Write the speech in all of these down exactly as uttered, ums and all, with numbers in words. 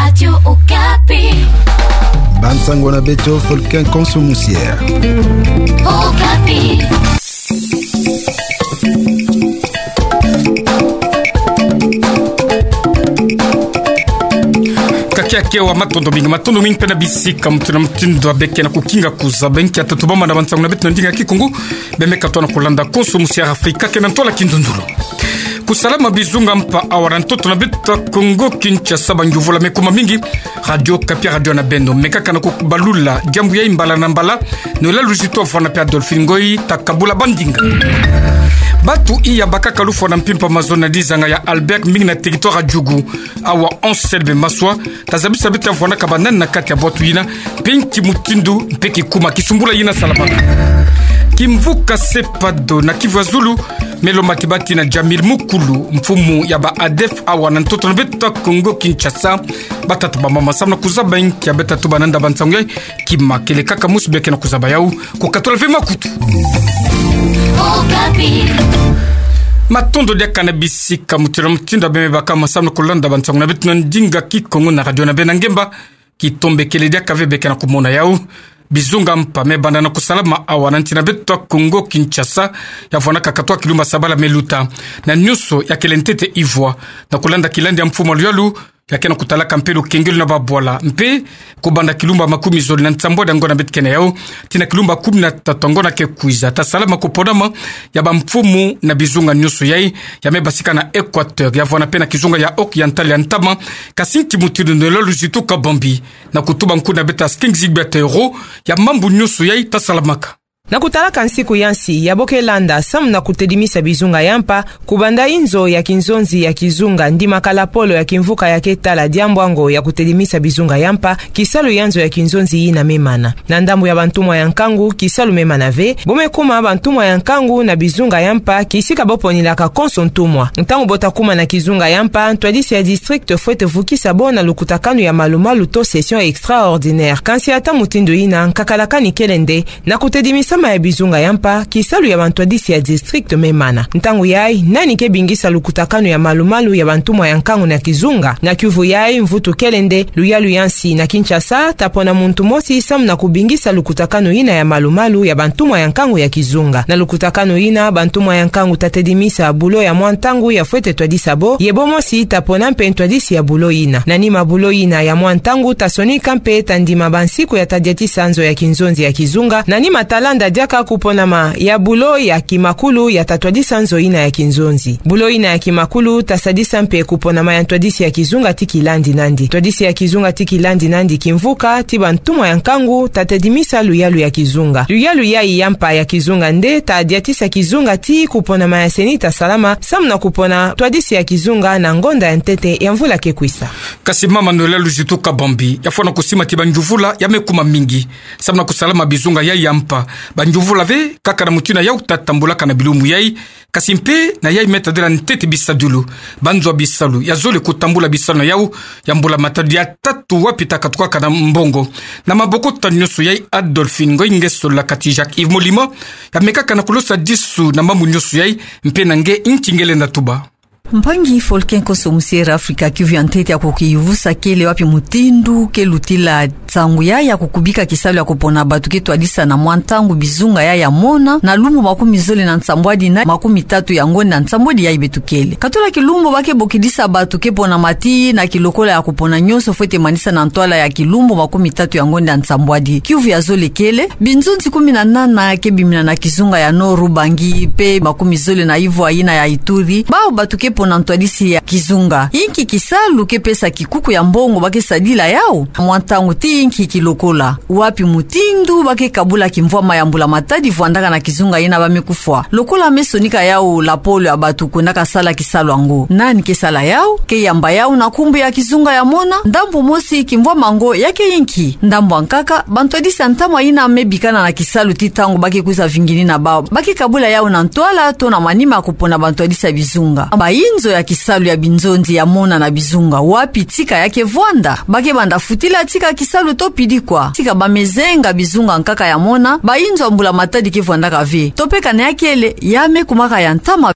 Radio Okapi. Bansango na beto Folkin Konso Musiera. Okapi. Kakia kewa, matondo mingi, matondo mingi mpe na bisika mutindu na mutindu ya beke na kukinga kuzaba nkia tatubama na bansango na beto na ndinga Kikongo. Bemeka tona kulanda Konso Musiera Afrika ke na ntwala kinzonzolo. Kusalama bizunga mpa awa na ntoto na beto Kongo Kinshasa, banjuvula me kuma mingi. Radio Okapi, radio na beno. Mekaka na kubalula diambu yai mbala na mbala. Noëlla Luzito afwana mpe Adolphine Ngoyi, takabula bandinga. Batu iya bakaka lufwa na mpimpa mazono na dizanga ya Albert, mingi na territoire ya Djugu. Awa Anselme Maswa, tazabisa beto ya vwandaka ba nani na kati ya bwatu yina, mpe nki mutindu mpe kikuma kisumbula yina salamaka. Kimvuka Sepado na Kivu ya Zulu, me lomba kibati na Jamil Mukulu, mfumu ya ba ADEF awa na ntoto na beto Kongo Kinshasa. Batata, bamama, samu na kuzaba nkia beta tuba na nda bansango yai, kima kele kaka musi beke na kuzaba yau, kukatula ve makutu. Okapi. Matondo diaka na bisika mutindu na mutindu ya bemeka masamu na kulanda bansango na beto na ndinga Kikongo na radio na beno na ngemba. Kitombe kele diaka ve beke na kumona yau. Bizunga mpa me banda na kusalama awa na nsi na beto Kongo Kinshasa, ya vwandaka katwa kilumbu sabala me luta. Na nyonso ya kele ntete ivwa, na kulanda kilandi ya mfumu ya luyalu, ya ke na kutalaka mpe lukengelo na babwala, mpe kubanda kilumbu makumi zole na nsambwadi ya ngonda beto ke na yau, tii na kilumbu kumi na tatu ya ngonda ke kwiza, tasalama kuponama ya bamfumu na bizunga nyonso yai, ya me basika na Equateur, ya vwanda mpe na kizunga ya Oriental ya ntama. Kasi nki mutindu Noëlla Luzito Kabambi, na kutuba nkundu na beto King Gilbert Ero, ya mambu nyonso yai tasalamaka. Na kutalaka nsiku ya nsi ya bo ke landa, samu na kutedimisa bizunga ya mpa, kubanda inzo ya kinzonzi ya kizunga, ndimaka lapolo ya kimvuka ya ke tala diambu yango ya kutedimisa bizunga ya mpa, kisalu ya nzo ya kinzonzi yina me mana. Na ndambu ya bantumwa ya nkangu, kisalu me mana ve, bo me kuma bantumwa ya nkangu na bizunga ya mpa, kisika bo ponilaka konso ntumwa. Ntangu bo ta kuma na kizunga ya mpa, ntwadisi ya district fwete vukisa bo na lukutakanu ya malumalu to session extraordinaire. Kansi ata mutindu yina, nkakalakani kele nde, na kutedimisama ya bizunga ya mpa, kisalu ya bantwadisi ya district me mana. Ntangu yai, nani ke bingisa lukutakanu ya malumalu ya bantumwa ya nkangu na kizunga? Na kiuvu yai, mvutu kele nde, luyalu ya nsi na Kinshasa ta pona muntu mosi samu na kubingisa lukutakanu yina ya malumalu ya bantumwa ya nkangu ya kizunga. Na lukutakanu yina, bantumwa ya nkangu ta tedimisa bulo ya mwa ntangu ya fwete twadisa bo, ye bo mosi ta pona mpe ntwadisi ya bulo yina. Na nima bulo yina ya mwa ntangu ta sonika mpe ta ndima bansiku ya ta diatisa nzo ya kinzonzi ya kizunga, na nima ta landa diaka kuponama ya bulo ya kimakulu ya ta twadisa nzo yina ya kinzonzi. Bulo yina ya kimakulu ta sadisa mpe kuponama ya ntwadisi ya kizunga tii kilandi nandi. Ntwadisi ya kizunga tii kilandi nandi kimvuka, tii bantumwa ya nkangu ta tedimisa luyalu ya kizunga. Luyalu yai ya mpa ya kizunga nde ta diatisa kizunga tii kuponama ya ceni ta salama, samu na kupona ntwadisi ya kizunga na ngonda ya ntete ya mvula ke kwisa. Kasi mama Noëlla Luzito Kabambi, ya fwana kusima tii banjuvula ya me kuma mingi, samu na kusalama bizunga yai ya mpa. Banjuvula ve, kaka na mutindu yau ta tambulaka na bilumbu yai, kasi mpe na yai me tadila ntete bisadulu. Banzo ya bisalu ya zole kutambula bisalu na yau, ya mbula-matadi ya tatu wapi ta katukaka na mbongo. Na maboko ta nyonso yai, Adolphine Ngoyi nge solola kati Jacques Yves Molima, ya mekaka na kulosa disu na mambu nyonso yai, mpe na nge nki nge lenda tuba. Mpangi Folkin Konso Musiera Afrika, kiuvu ya ntete ya kukiyuvusa kele wapi mutindu ke lutila nsangu yai ya kukubika kisalu ya kupona batu ke twadisa na mwa ntangu bizunga yai ya mona, na lumbu makumi zole na nsambwadi na makumi tatu ya ngonda nsambwadi yai beto kele. Katula kilumbu ba ke bokidisa batu ke ponama tii na kilokola ya kupona nyonso fwete manisa na ntwala ya kilumbu makumi tatu ya ngonda nsambwadi. Kiuvu ya zole kele, binzonzi kumi na nana ke bimina na kizunga ya Nord-Ubangi, mpe makumi zole na ivwa yina ya Ituri. Bawu batu ke pona ntwadisi ya kizunga. Inki kisalu ke pesa kikuku ya mbongo ba ke sadila yau? Mwa ntangu tii inki kilokola? Wapi mutindu ba ke kabula kimvwama ya mbula-matadi vwandaka na kizunga yina ba me kufwa? Lokola me sonika yau lapolo ya batu kwendaka sala kisalu yango, nani ke sala yau? Ke yamba yau na nkumbu ya kizunga ya mona? Ndambu mosi, kimvwama yango ya ke inki? Ndambu ya nkaka, bantwadisi ya ntama yina me bikana na kisalu tii ntangu ba ke kwiza vingini na bawu, ba ke kabula yau na ntwala to na manima ya kupona bantwadisi ya bizunga? Bayinzo ya kisalu ya binzonzi ya mona na bizunga, wapi tika ya ke vwanda? Ba ke banda futila tika kisalu to pidi kwa? Tika ba me zenga bizunga nkaka ya mona, bayinzo ya mbula-matadi ke vwandaka ve. To mpe kana ya kele, ya me kumaka ya ntama.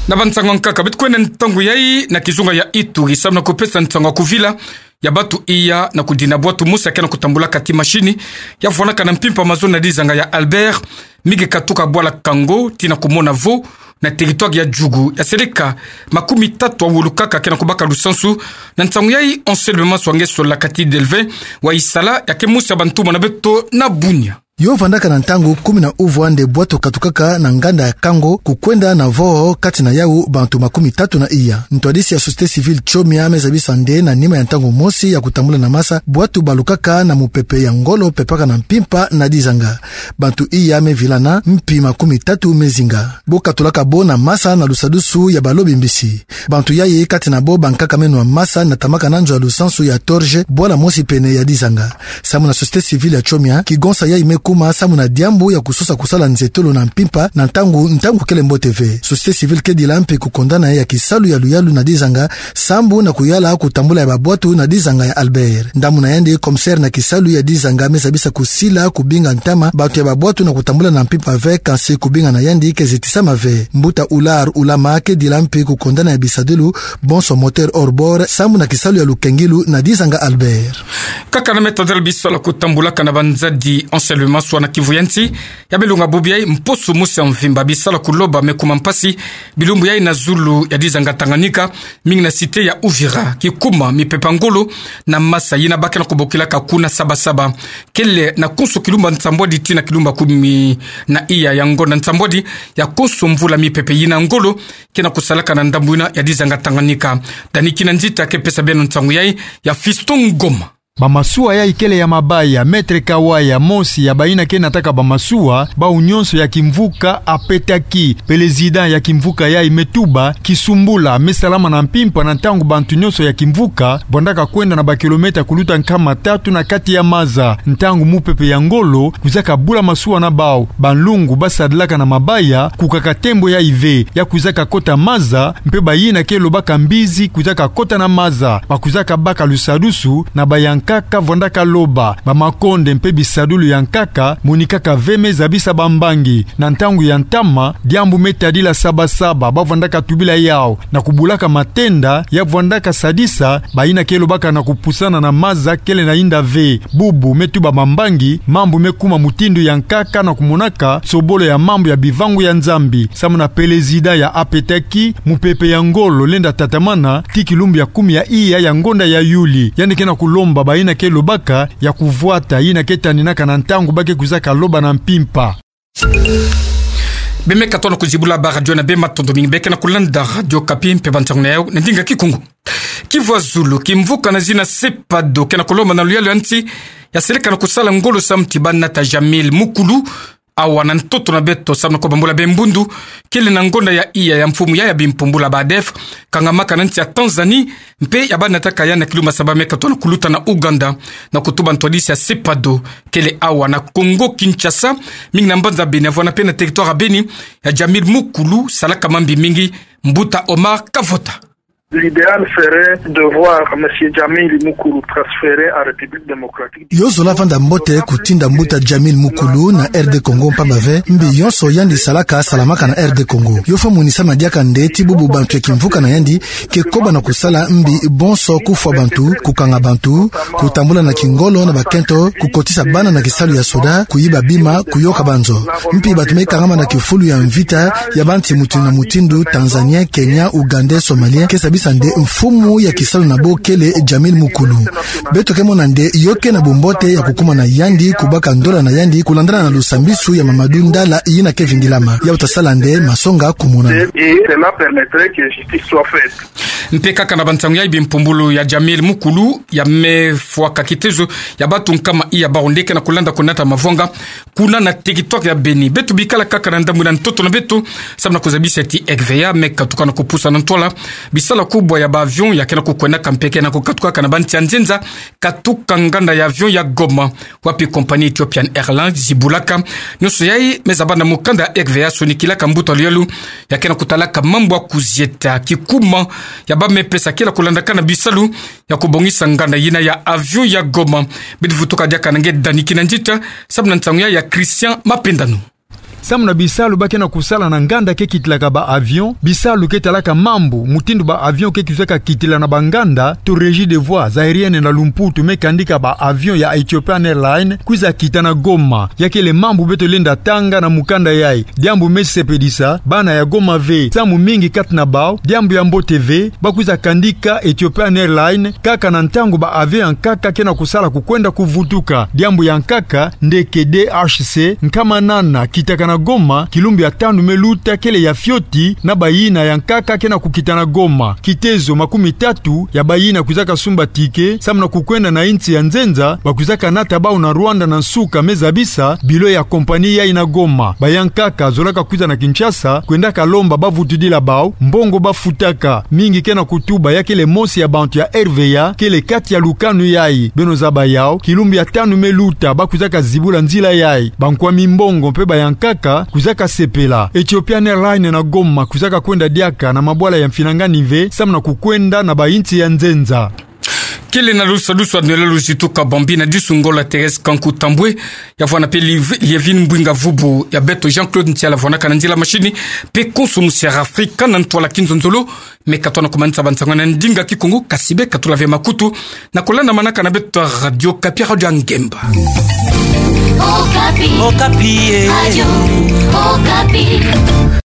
Na bansango ya nkaka, beto kwenda ntangu yayi na kizunga ya Ituri, samu na kupesa nsango ya kuvila ya bantu iya na kudina bwatu mosi ya ke na kutambulaka ti mashini, ya vwanaka na mpimpa mazono na dizanga ya Albert, mi ke katuka bwala Kango, tii na kumona vo, na territoire ya Djugu, ya seleka makumi tatu ya wulu kaka ke na kubaka lusansu. Na nsango yayi, Anselme Maswa nge solaka ti Delvin wa Isala, ya ke mosi ya bantumwa na beto na Bunia. Yo vandaka na ntangu kumi na uvwa nde bwatu katukaka na nganda ya Kango, kukwenda na vo, kati na yau bantu makumi tatu na iya. Ntwadisi ya société civile Chomia me zabisa nde na nima ya ntangu mosi ya kutambula na masa, bwatu balukaka na mupepe ya ngolo pepaka na mpimpa na dizanga. Bantu iya me vilana, mpi makumi tatu me zinga. Bo katulaka bo na masa na lusadusu ya balobi mbisi. Bantu yayi, kati na bo bankaka me nwa masa, na tamaka na nzo ya lusansu ya Torge, bwala mosi pene ya dizanga. Samu na société civile ya Chomia, kigonsa yayi me kuma samu na diambu ya kusosa kusala nzetolo na mpimpa na ntangu, ntangu kele mbote ve. Société civile ke dila mpe kukondana ya kisalu ya luyalu na dizanga, sambu na kuyala kutambula ya babwatu na dizanga ya Albert. Ndambu na yandi, commissaire na kisalu ya dizanga, me zabisa kusila kubinga ntama bantu ya babwatu na kutambula na mpimpa ve, kansi kubinga na yandi ke zitisama ve. Mbuta Ular Ulama ke dila mpe kukondana ya bisadulu bonso moteur hors-bord, sambu na kisalu ya lukengilu na dizanga Albert. Kaka na meta del bisalu kutambulaka na banzadi Anselme Maswa na Kivu ya nsi, ya bilunga bubu yayi, mposo mosi ya mvimba bisalu kuloba me kuma mpasi bilumbu yayi na zulu ya dizanga Tanganyika, mingi na cité ya Uvira, kikuma mipepe ya ngolo na masa yina ba ke na kubokilaka kuna saba-saba. Kele na konso kilumba nsambwadi tii na kilumba kumi na iya ya ngonda nsambwadi ya konso mvula mipepe yina ya ngolo ke na kusalaka na ndambu yina ya dizanga Tanganyika. Dani Kinanzita ke pesa beno nsangu yayi ya Fiston Ngoma. Bamasuwa yayi kele ya mabaya. Maître Kawaya, mosi ya bayina ke nataka bamasuwa, bawu nyonso ya kimvuka Apetaki, président ya kimvuka yayi, me tuba kisumbula me salama na mpimpa na ntangu bantu nyonso ya kimvuka bwandaka kwenda na bakilomètre kuluta nkama tatu na kati ya maza, ntangu mupepe ya ngolo kwizaka bula masuwa na bawu. Banlungu basadilaka na mabaya, kukaka tembo yayi ve, ya kwizaka kota maza, mpe bayina ke lobaka mbizi kwizaka kota na maza, ba kwizaka baka lusadusu na bayankaka vwandaka loba. Bamakonde mpe bisadulu ya nkaka monikaka ve me zabisa bambangi. Na ntangu ya ntama, diambu me tadila saba-saba ba vwandaka tubila yawu na kubulaka matenda ya vwandaka sadisa bayina ke lobaka na kupusana na maza kele na yinda ve. Bubu me tuba bambangi, mambu me kuma mutindu ya nkaka na kumonaka nsobolo ya mambu ya bivangu ya Nzambi. Samu na président ya Apetaki, mupepe ya ngolo lenda tatamana tii kilumbu ya kumi ya iya ya ngonda ya Yuli. Yandi ke na kulomba bayina ke lobaka ya kuvwata yina ke taninaka na ntangu ba ke kwizaka loba na mpimpa. Be me katono kuzibula ba radio na be, matondo mingi. Be ke na kulanda Radio Okapi mpe bansangu na yawu na ndinga Kikongo. Kivu ya zulu, kimvuka na zina Sepado ke na kulomba na luyalu ya nsi ya seleka na kusala ngolo samu ti ba nata Jamil Mukulu awa na ntoto na beto samu na kubambula be mbundu kele na ngonda ya iya ya mfumu ya ya bimpumbulu ba ADF, kangamaka na nsi ya Tanzanie, mpe ya ba nataka ya na kilumbu saba me katono kuluta na Ouganda, na kutuba ntwadisi ya Sepado kele awa na Congo Kinshasa, mingi na mbanza Beni, vwanda mpe na territoire ya Beni, ya Jamil Mukulu salaka mambi mingi. Mbuta Omar Kavota. L'idéal serait de voir Monsieur Jamil Mukulu transféré en République démocratique. Yo zola vanda mbote kutinda mbuta Jamil Mukulu na R D Congo, mpamba ve mbi yonso yandi salaka salamaka na R D Congo. Yo fwa monisa madiaka nde ti bubu bantu ya kimvuka na yandi ke koba na kusala mbi bonso: kufwa bantu, kukanga bantu, kutambula na kingolo na bakento, kukotisa bana na kisalu ya soda, kuyiba bima, kuyoka banzo. Mpi bantu me kangama na kifulu ya mvita ya bansi mutindu na mutindu, Tanzanien, Kenyan, Ougandais, Somaliens, ke sabisa nde mfumu ya kisalu na bo kele Jamil Mukulu. Beto ke mona nde yo ke na bumbote ya kukuma na yandi, kubaka ndola na yandi, kulandana na lusambisu ya Mamadou Ndala yina ke vingilama. Ya uta sala nde masonga kumonana. Et cela permettrait que justice soit faite. Mpe kaka na bansangu ya bimpumbulu ya Jamil Mukulu, ya me fwaka kitezo ya bantu nkama iya bawu nde ke na kulanda kunata mavwanga kuna na territoire ya Beni. Beto bikala kaka na ndambu na ntoto na beto, samu na kuzabisa ti R V A me katuka na kupusa na ntwala bisalu kubwa ya ba avion ya ke na kukwendaka mpe ke na kukatukaka na bansi ya nzenza, katuka nganda ya avion ya Goma, wapi compagnie Ethiopian Airlines zibulaka. Nyonso yayi me zaba na mukanda ya R V A sonikilaka mbuta luyalu ya ke na kutalaka mambu ya kuzieta kikuma ya ba me pesa kila kulandaka na bisalu ya kubongisa nganda yina ya avion ya Goma. Bidi vutuka diaka na nge Dani Kinanzita, samu na nsangu ya, ya Christian Mapendano. Samu na bisalu ba ke na kusala na nganda ke kitilaka ba avion, bisalu ke talaka mambu mutindu ba avion ke kwizaka kitila na ba nganda, to Régie des voies aériennes na lumputu me kandika ba avion ya Ethiopian Airlines kwiza kita na Goma. Ya kele mambu beto lenda tanga na mukanda yai. Diambu me sepedisa bana ya Goma ve, samu mingi kati na bau, diambu ya mbote ve, ba kwiza kandika Ethiopian Airlines kaka na ntangu ba avion ya nkaka ke na kusala kukwenda kuvutuka. Diambu ya nkaka, ndeke D H C nkama nana kitaka na Goma kilumbu ya tanu me luta kele ya fioti na bayina ya nkaka ke na kukita na Goma. Kitezo makumi tatu ya bayina kwizaka sumba ticket samu na kukwenda na insi ya nzenza, ba kwizaka nata bau na Rwanda na nsuka, me zabisa bilo ya compagnie yai na Goma. Ba ya nkaka zolaka kwiza na Kinshasa kwendaka lomba ba vutudila bau mbongo ba futaka. Mingi ke na kutuba ya kele mosi ya bantu ya R V A kele kati ya lukanu yai. Beno zaba yau, kilumbu ya tanu me luta ba kwizaka zibula nzila yai. Ba nkwami mbongo mpe ba ya nkaka kwizaka sepela. Ethiopian Airlines na Goma kwizaka kwenda diaka na mabwala ya mfinangani ve samu na kukwenda na ba insi ya nzenza. Kele na lusa lusa nwela luzitu ka bambi na disu ngola Thérèse Kanku Tambwe, ya vwana mpe Liv-, Lievine Mbwinga Vubu, ya beto Jean-Claude Ntiala vwanaka na nzila machine, mpe konso musi ya Afrika na ntwala kinzonzolo, me ka tona kumanisa ba nsangu na ndinga Kikongo, kasi be ka tula ve makutu na kulandamanaka na beto Radio Okapi, Radio ya Ngemba. Okapi. Okapi, eh. Radio Okapi.